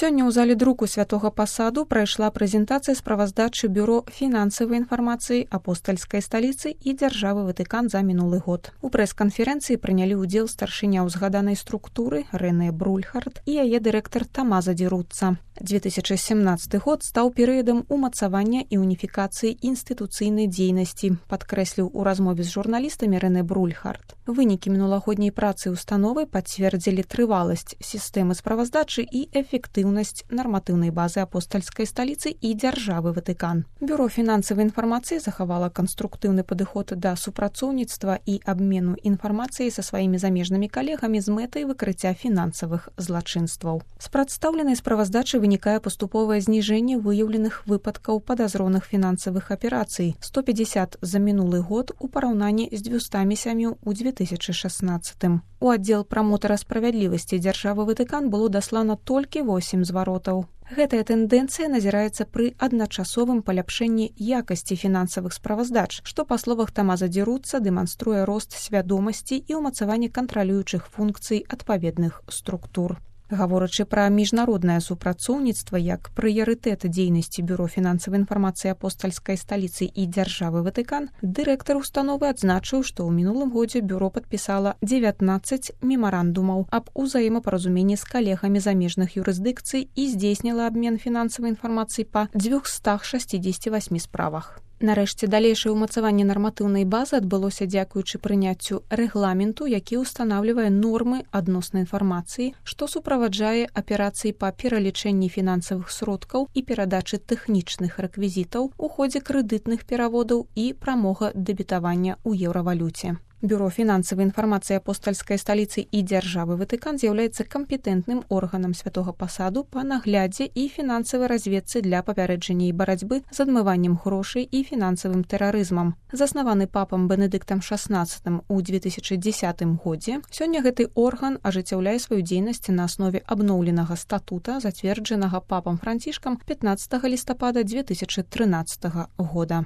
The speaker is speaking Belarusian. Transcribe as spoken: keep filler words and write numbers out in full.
Сёння ў зале друку святога пасаду прайшла прэзентацыя справаздачы бюро фінансавай інфармацыі апостальскай сталіцы і дзяржавы Ватыкан за мінулы год. У прэс-канферэнцыі прынялі ўдзел старшыня ўзгаданай структуры Рэнэ Брульхард і яе дырэктар Тамаза Ді Руцца. две тысячы сямнаццаты год стаў перыядам умацавання і уніфікацыі інстытуцыйнай дзейнасці, падкрэсліў у размове з журналістамі Рэнэ Брульхард. Вынікі мінулагодняй працы установы пацвердзілі трываласць сістэмы справаздачы і эфектыўнасць нарматыўнай базы апостальскай сталіцы і дзяржавы Ватыкан. Бюро фінансавай інфармацыі захавала канструктыўны падыход да супрацоўніцтва і абмену інфармацыяй са сваімі замежнымі калегамі з мэтай выкрыцця фінансавых злачынстваў. З прадстаўленай справаздачы вынікае паступовае зніжэнне выяўленых выпадкаў падазроных фінансавых аперацый сто пятьдесят за мінулы год у параўнанні з дзвюстамі сямю ў две тысячы шаснаццатым. У аддзел прамотара справядлівасці дзяржавы Ватыкан было даслана толькі восем зваротаў. Гэтая тэндэнцыя назіраецца пры адначасовым паляпшэнні якасці фінансавых справаздач, што, па словах Тамаза Ді Руцца, дэманструе рост свядомасці і ўмацаванне кантралюючых функцый адпаведных структур. Гаворачы пра міжнароднае супрацоўніцтва як прыярытэт дзейнасці бюро фінансавай інфармацыі апостальскай сталіцы і дзяржавы Ватыкан, дырэктар установы адзначыў, што ў минулым годзе бюро падпісала дзевятнаццаць мемарандумаў аб узаемапаразуменні з калегамі замежных юрысдыкцый і здзейсніла абмен фінансавай інфармацыі па дзвюстах шасцідзесяці васьмі справах. Нарэшце, далейшае ўмацаванне нарматыўнай базы адбылося дзякуючы прыняццю рэгламенту, які ўстанаўлівае нормы адноснай інфармацыі, што суправаджае аперацыі па пералічэнні фінансавых сродкаў і перадачы тэхнічных рэквізітаў у ходзе крэдытных пераводаў і прамога дэбітавання ў еўравалюце. Бюро фінансавай інфармацыі апостальскай сталіцы і дзяржавы Ватыкан з'яўляецца кампетэнтным органам святога пасаду па наглядзе і фінансавай разведцы для папярэджання і барацьбы з адмываннем грошай і фінансавым тэрарызмам. Заснаваны папам Бенедыктам шаснаццатым у две тысячы дзесятым годзе, сёння гэты орган ажыццяўляе сваю дзейнасць на аснове абноўленага статута, зацверджанага папам Францішкам пятнаццатага лістапада две тысячы трынаццатага года.